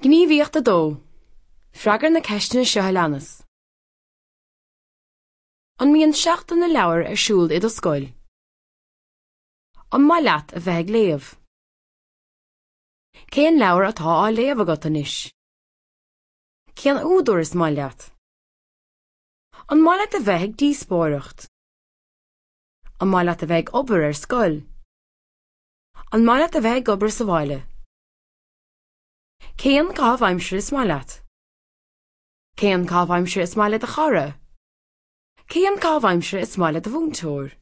Gníomhaíocht 2. Freagair na ceisteanna seo a leanas. An mbíonn Seachtain na Leabhar ar siúl i do scoil? An maith leat a bheith ag léamh? Cén leabhar atá á léamh agat anois? Cén údar is maith leat? An maith leat a bheith ag díospóireacht? An maith leat a bheith ag obair ar scoil? An maith leat a bheith ag obair sa bhaile? Cén caitheamh aimsire is maith leat? Cén caitheamh aimsire is maith le do chara? Cén caitheamh aimsire is maith le do mhúinteoir?